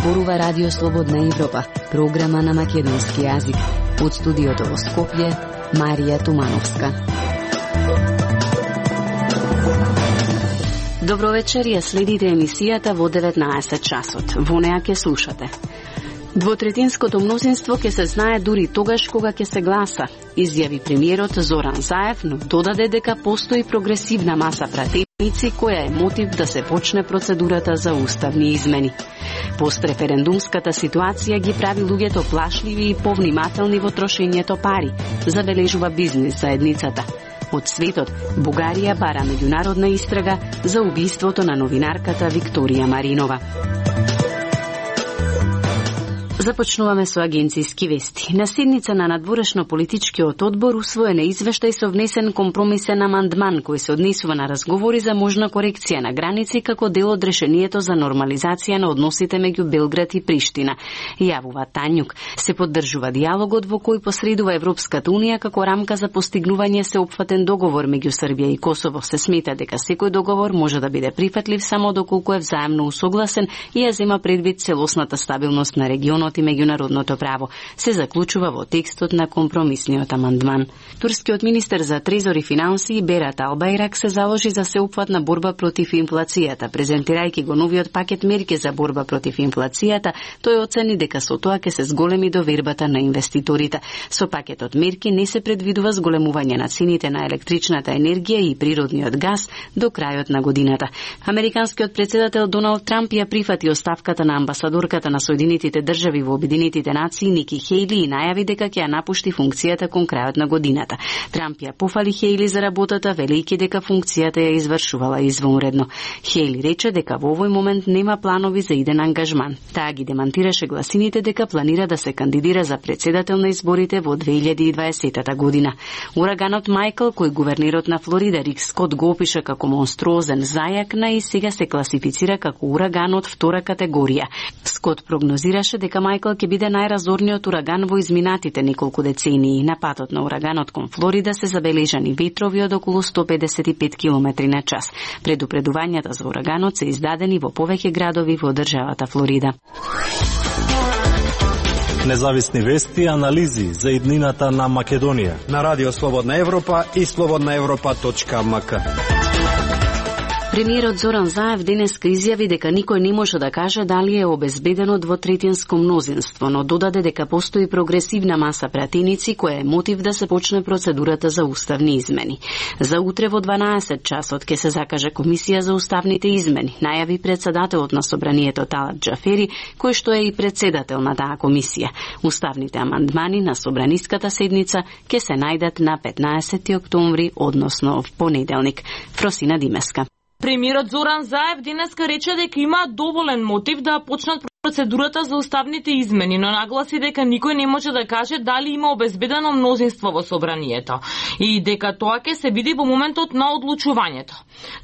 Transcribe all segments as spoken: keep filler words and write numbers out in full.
зборува Радио Слободна Европа, програма на македонски јазик. Од студиото во Скопје, Марија Тумановска. Добро вечер, ја следите емисијата во деветнаесет часот. Во неа ќе слушате. Двотретинското мнозинство ќе се знае дури тогаш кога ќе се гласа, изјави премиерот Зоран Заев, но додаде дека постои прогресивна маса пратеници која е мотив да се почне процедурата за уставни измени. Постреферендумската ситуација ги прави луѓето плашливи и повнимателни во трошењето пари, забележува бизнис заедницата. Од светот, Бугарија бара меѓународна истрага за убиството на новинарката Викторија Маринова. Започнуваме со агенцијски вести. На седница на надворешно-политичкиот одбор усвоен е извештај со внесен компромисен амандман кој се однесува на разговори за можна корекција на граници како дел од решението за нормализација на односите меѓу Белград и Приштина. Јавува Тањук. Се поддржува диалогот во кој посредува Европската унија како рамка за постигнување сеопфатен договор меѓу Србија и Косово. Се смета дека секој договор може да биде прифатлив само доколку е взаемно усогласен и ја зема предвид целосната стабилност на регионот и меѓународното право, се заклучува во текстот на компромисниот амандман. Турскиот министер за трезор и финанси Берат Албайрак се заложи за сеопфатна борба против инфлацијата. Презентирајќи го новиот пакет мерки за борба против инфлацијата, тој оцени дека со тоа ќе се зголеми довербата на инвеститорите. Со пакетот мерки не се предвидува зголемување на цените на електричната енергија и природниот газ до крајот на годината. Американскиот председател Доналд Трамп ја прифати оставката на амбасадорката на Соединетите држави во Обединетите нации Ники Хејли и најави дека ќе ја напушти функцијата кон крајот на годината. Трамп ја пофали Хејли за работата, велејќи дека функцијата ја извршувала извонредно. Хејли рече дека во овој момент нема планови за иден ангажман. Таа ги демантираше гласините дека планира да се кандидира за председател на изборите во две илјади и дваесета година. Ураганот Мајкл, кој гувернерот на Флорида Рик Скот го опиша како монструозен зајак, на и сега се класифицира како ураган од втора категорија. Скот прогнозираше дека Мајкл ќе биде најразорниот ураган во изминатите неколку децении. На патот на ураганот кон Флорида се забележани ветрови од околу сто педесет и пет километри на час. Предупредувањата за ураганот се издадени во повеќе градови во државата Флорида. Независни вести и анализи за иднината на Македонија на Радио Слободна Европа и слободна европа точка ем ка. Премиерот Зоран Заев денеска изјави дека никој не може да каже дали е обезбедено двотретинско мнозинство, но додаде дека постои прогресивна маса пратеници која е мотив да се почне процедурата за уставни измени. За утре во дванаесет часот ќе се закаже комисија за уставните измени, најави председателот на собранието Талат Џафери, кој што е и председател на таа комисија. Уставните амандмани на собраниската седница ќе се најдат на петнаесети октомври, односно в понеделник. Фросина Димеска. Премиерот Зоран Заев денеска рече дека има доволен мотив да почнат процедурата за уставните измени, но нагласи дека никој не може да каже дали има обезбедено мнозинство во собранието и дека тоа ќе се види во моментот на одлучувањето.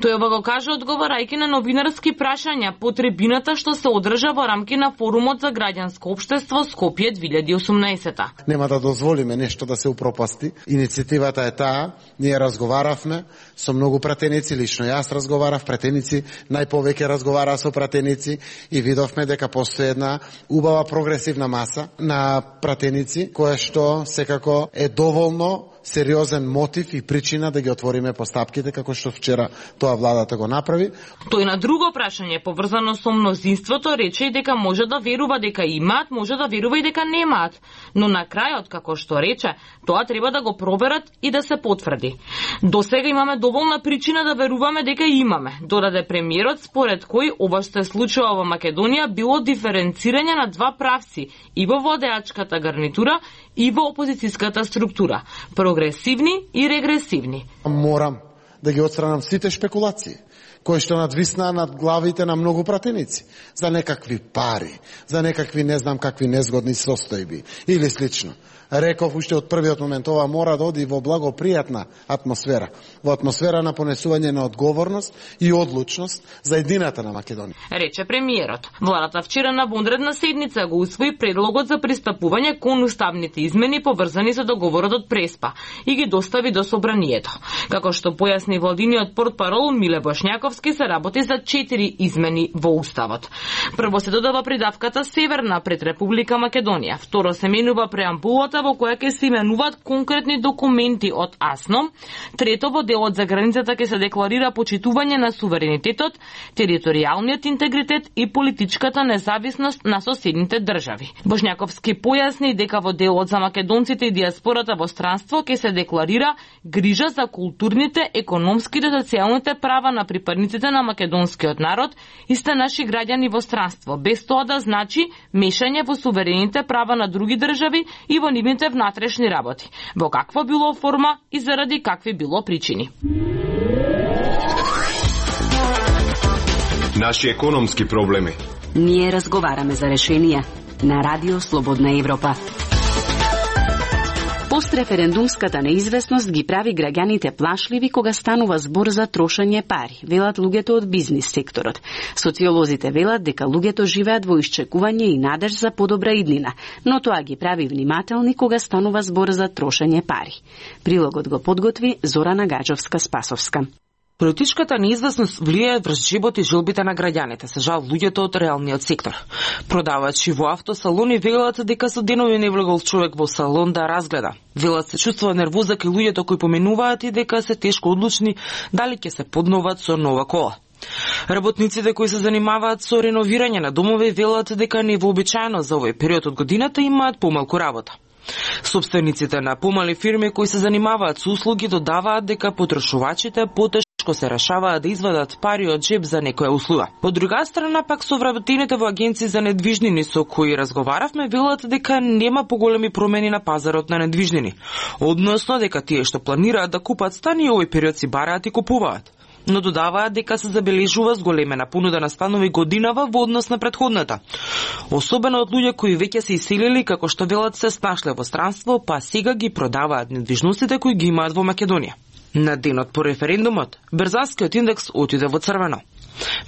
Тој ова го кажа одговарајќи на новинарски прашања по трибината што се одржа во рамки на форумот за граѓанско општество Скопје две илјади и осумнаесета. Нема да дозволиме нешто да се упропасти. Иницијативата е таа, ние разговаравме со многу пратеници, лично јас разговарав, пратеници најповеќе разговараа со пратеници и видовме дека постои една убава прогресивна маса на пратеници која што секако е доволно сериозен мотив и причина да ги отвориме постапките како што вчера тоа владата го направи. Тој на друго прашање поврзано со мнозинството рече и дека може да верува дека имаат, може да верува и дека немаат, но на крајот како што рече, тоа треба да го проверат и да се потврди. До сега имаме доволна причина да веруваме дека имаме, додаде премиерот, според кој ова што се случува во Македонија било диференцирање на два правци и во владеачката гарнитура и во опозицијската структура. Прогресивни и регресивни. Морам да ги отстранам сите шпекулации кои што надвиснаа над главите на многу пратеници за некакви пари, за некакви не знам какви незгодни состојби или слично. Реков уште од првиот момент, ова мора да оди во благопријатна атмосфера, во атмосфера на понесување на одговорност и одлучност за едината на Македонија. Рече премиерот. Владата вчера на вонредна седница го усвои предлогот за пристапување кон уставните измени поврзани со договорот од Преспа и ги достави до собранието. Како што појасни владиниот портпарол Миле Бошњаков, Боšnjakovski се работи за четири измени во уставот. Прво се додава придавката Северна пред Република Македонија. Второ се менува преамбулата во која ќе се именуваат конкретни документи од АСНОМ. Трето, во делот за границата ќе се декларира почитување на суверенитетот, територијалниот интегритет и политичката независност на соседните држави. Боšnjakovski појасни дека во делот за македонците и диаспората во странство ќе се декларира грижа за културните, економските и социјалните права на припадниците на македонскиот народ и сте наши граѓани во странство, без тоа да значи мешање во суверените права на други држави и во нивните внатрешни работи, во каква било форма и заради какви било причини. Наши економски проблеми. Ние разговараме за решенија на Радио Слободна Европа. Постреферендумската неизвестност ги прави граѓаните плашливи кога станува збор за трошење пари, велат луѓето од бизнис секторот. Социолозите велат дека луѓето живеат во исчекување и надеж за подобра иднина, но тоа ги прави внимателни кога станува збор за трошење пари. Прилогот го подготви Зорана Гаджовска-Спасовска. Политичката неизвестност влијае врз живот и желбите на граѓаните, се жал луѓето од реалниот сектор. Продавачи во автосалони велат дека со денови не влегол човек во салон да разгледа. Велат се чувствува нервоза кај луѓето кои поменуваат и дека се тешко одлучни дали ќе се подноват со нова кола. Работниците кои се занимаваат со реновирање на домови велат дека невообичаено за овој период од годината имаат помалку работа. Собствениците на помали фирми кои се занимаваат со услуги додаваат дека потрошувачите потешко се решаваат да извадат пари од джеб за некоја услуга. Од друга страна пак совработените во агенции за недвижнини со кои разговаравме велат дека нема поголеми промени на пазарот на недвижнини, односно дека тие што планираат да купат стани овој период си бараат и купуваат. Но додаваат дека се забележува зголемена понуда на станови годинава во однос на претходната. Особено од луѓе кои веќе се иселили, како што велат се снашле во странство, па сега ги продаваат недвижностите кои ги имаат во Македонија. На денот по референдумот, Берзанскиот индекс отиде во црвено.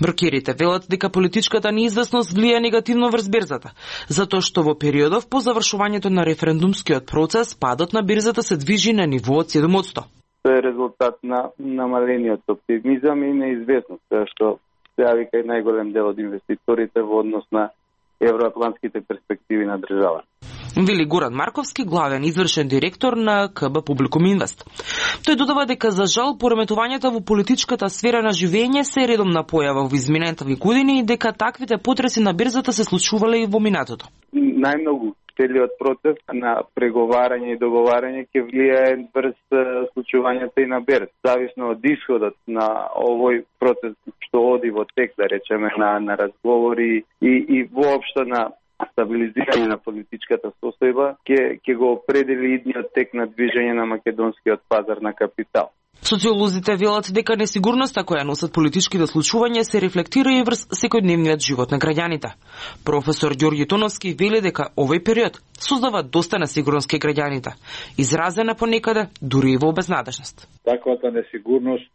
Брокерите велат дека политичката неизвестност влија негативно врз берзата, затоа што во периодов по завршувањето на референдумскиот процес падот на берзата се движи на ниво од седум одсто. Тоа е резултат на намалениот оптимизам и неизвестност, што се јави кај најголем дел од инвеститорите во однос на евроатлантските перспективи на држава. Вели Горан Марковски, главен извршен директор на КБ Публикум Инвест. Тој додава дека за жал пореметувањата во политичката сфера на живење се редомна појава во изминатите години и дека таквите потреси на берзата се случувале и во минатото. Најмногу целиот процес на преговарање и договарање ќе влијае врз случувањата и на берз. Зависно од исходот на овој процес што оди во тек, да речеме, на, на разговори и, и воопшто на стабилизирање на политичката состојба, ќе ќе го определи идниот тек на движење на македонскиот пазар на капитал. Социолозите велат дека несигурноста која носат политичките случувања се рефлектира и врз секојдневниот живот на граѓаните. Професор Ѓорѓи Тоновски вели дека овој период создава доста несигурност кај граѓаните, изразена понекаде дури и во безнадежност. Таквата несигурност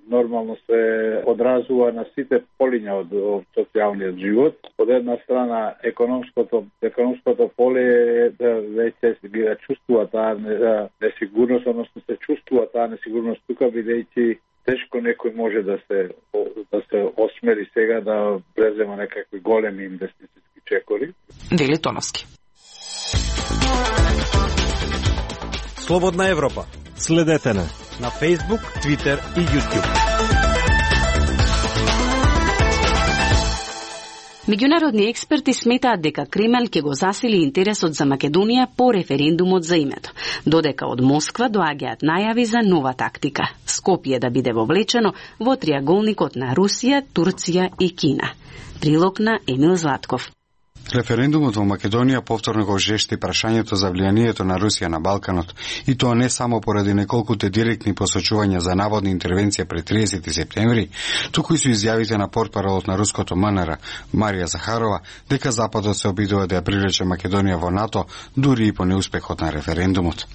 нормално се одразува на сите полиња од, од социјалниот живот. Од една страна економското економското поле да веќе се ги чувствува таа несигурност, односно се чувствува таа несигурност тука, бидејќи тешко некој може да се да се осмели сега да презема некакви големи инвестициски чекори. Вели Тоновски. Слободна Европа. Следете не на Facebook, Twitter и YouTube. Меѓународни експерти сметаат дека Кремљ ќе го засили интересот за Македонија по референдумот за името, додека од Москва доаѓаат најави за нова тактика – Скопје да биде вовлечено во триаголникот на Русија, Турција и Кина. Прилог на Емил Златков. Референдумот во Македонија повторно го жешти прашањето за влијанието на Русија на Балканот, и тоа не само поради неколкуте директни посочувања за наводна интервенција пред триесети септември, туку и со изјавите на портпаролот на руското МНР Марија Захарова дека Западот се обидува да ја привлече Македонија во НАТО, дури и по неуспехот на референдумот.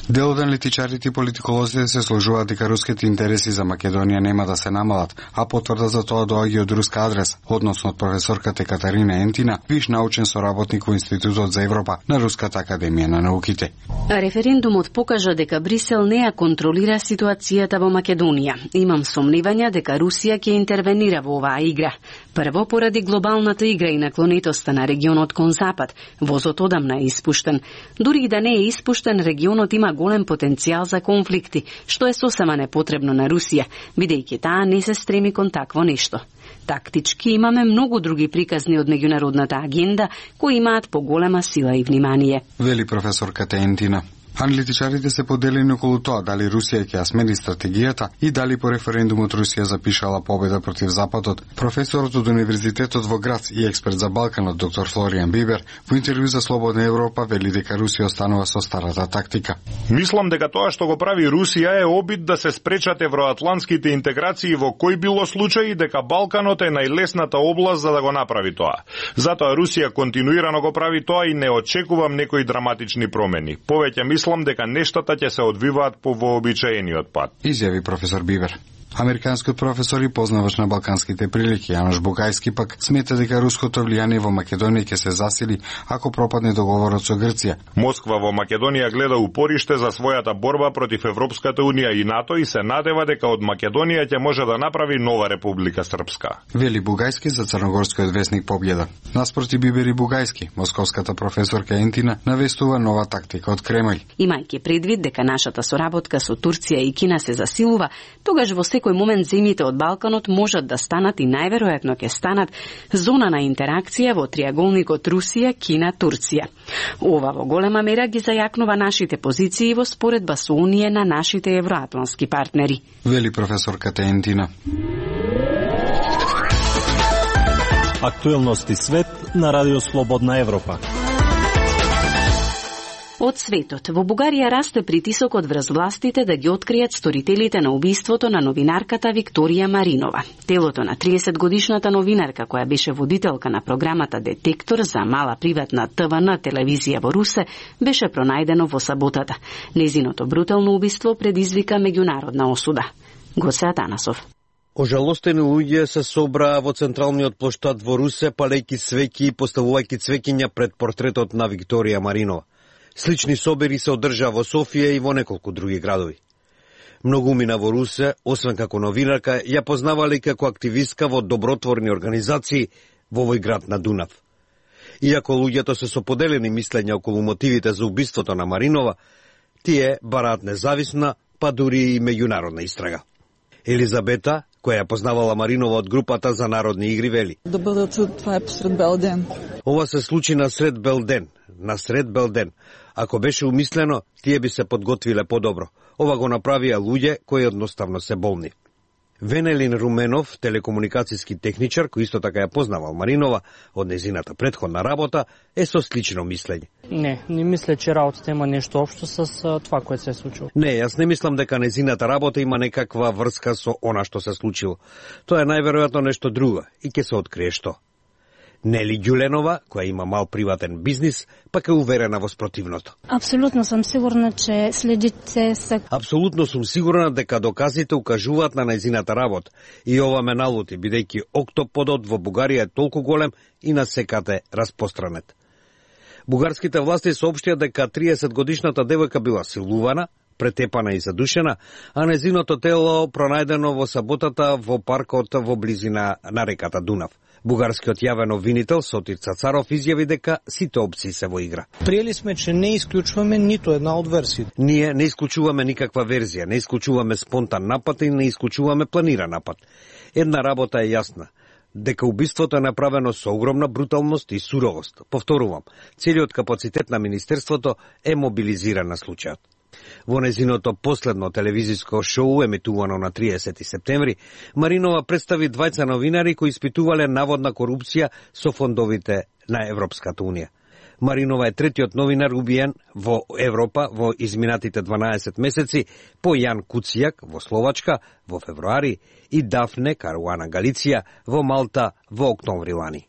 Дел од аналитичарите и политиколозите се сложуваат дека руските интереси за Македонија нема да се намалат, а потврда за тоа доаѓа од руска адрес, односно од професорката Екатерина Ентина, виш научен соработник во Институтот за Европа на Руската академија на науките. Референдумот покажа дека Брисел не ја контролира ситуацијата во Македонија. Имам сомневања дека Русија ќе интервенира во оваа игра. Прво, поради глобалната игра и наклонетоста на регионот кон запад, возот одамна е испуштен. Дури и да не е испуштен, регионот има голем потенцијал за конфликти, што е сосема непотребно на Русија, бидејќи таа не се стреми кон такво нешто. Тактички имаме многу други приказни од меѓународната агенда кои имаат поголема сила и внимание. Вели професорката Ентина. Аналитичарите се поделени околу тоа дали Русија ќе ја смени стратегијата и дали по референдумот Русија запишала победа против Западот. Професорот од Универзитетот во Грац и експерт за Балканот доктор Флоријан Бибер во интервју за Слободна Европа вели дека Русија останува со старата тактика. Мислам дека тоа што го прави Русија е обид да се спречат евроатлантските интеграции во кој било случај, дека Балканот е најлесната област за да го направи тоа. Затоа Русија континуирано го прави тоа и не очекувам некои драматични промени. Повеќе мислам дека нештата ќе се одвиваат по вообичаениот пат, изјави професор Бибер. Американскиот професор и познавач на балканските прилики Јанош Бугајски пак смета дека руското влијание во Македонија ќе се засили ако пропадне договорот со Грција. Москва во Македонија гледа упориште за својата борба против Европската унија и НАТО и се надева дека од Македонија ќе може да направи нова Република Српска. Вели Бугајски за црногорскиот весник Победа. Наспроти Бибер и Бугајски, московската професорка Ентина навестува нова тактика од Кремљ. Имајќи предвид дека нашата соработка со Турција и Кина се засилува, тогаш во секој момент земјите од Балканот можат да станат и најверојатно ќе станат зона на интеракција во триаголникот Русија, Кина, Турција. Ова во голема мера ги зајакнува нашите позиции во споредба со Унија на нашите евроатлантски партнери. Вели професорката Ентина. Актуелности свет на Радио Слободна Европа. Од светот, во Бугарија расте притисокот врз властите да ги откријат сторителите на убиството на новинарката Викторија Маринова. Телото на триесетгодишната новинарка, која беше водителка на програмата Детектор за мала приватна Т В Н телевизија во Русе, беше пронајдено во саботата. Незиното брутално убиство предизвика меѓународна осуда. Гоце Атанасов. Ожалостени луѓе се собраа во централниот плоштад во Русе, палејќи свеќи и поставувајќи цвеќиња пред портретот на Викторија Маринова. Слични собери се одржаа во Софија и во неколку други градови. Многумина во Русе, освен како новинарка, ја познавале како активистка во добротворни организации во овој град на Дунав. Иако луѓето се со поделени мислења околу мотивите за убиството на Маринова, тие бараат независна, па дури и меѓународна истрага. Елизабета, која ја познавала Маринова од групата за народни игри, вели: Да бидат, това е посред бел ден. Ова се случи на сред бел ден, на сред бел ден. Ако беше умислено, тие би се подготвиле подобро. Ова го направија луѓе кои едноставно се болни. Венелин Руменов, телекомуникацијски техничар, кој исто така ја познавал Маринова од незината претходна работа, е со слично мислење. Не, не мисля, че работата има нешто општо с това кој се е случило. Не, јас не мислам дека незината работа има некаква врска со она што се случило. Тоа е најверојатно нешто друго и ќе се открие што. Нели Ѓуленова, која има мал приватен бизнис, пак е уверена во спротивното. Апсолутно сум сигурна, че следите се... Апсолутно сум сигурна дека доказите укажуваат на нејзината работа. И ова ме налути, бидејќи октоподот во Бугарија е толку голем и на секаде распространет. Бугарските власти соопштија дека триесетгодишната девојка била силувана, претепана и задушена, а незиното тело пронајдено во саботата во паркот во близина на реката Дунав. Бугарскиот јавен обвинител Сотир Цацаров изјави дека сите опции се во игра. Приели сме, че не исклучуваме ниту една од версиите. Ние не исклучуваме никаква верзија, не исклучуваме спонтан напад и не исклучуваме планиран напад. Една работа е јасна, дека убиството е направено со огромна бруталност и суровост. Повторувам, целиот капацитет на Министерството е мобилизиран на случајот. Во незиното последно телевизиско шоу, емитувано на триесети септември, Маринова представи двајца новинари кои испитувале наводна корупција со фондовите на Европската унија. Маринова е третиот новинар убиен во Европа во изминатите дванаесет месеци, по Јан Куцијак во Словачка во февруари и Дафне Каруана Галиција во Малта во октомври лани.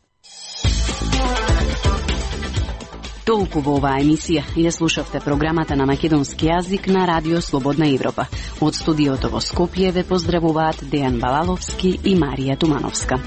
Толку во оваа емисија. Ја слушавте програмата на македонски јазик на Радио Слободна Европа. Од студиото во Скопје ве поздравуваат Дејан Балаловски и Марија Тумановска.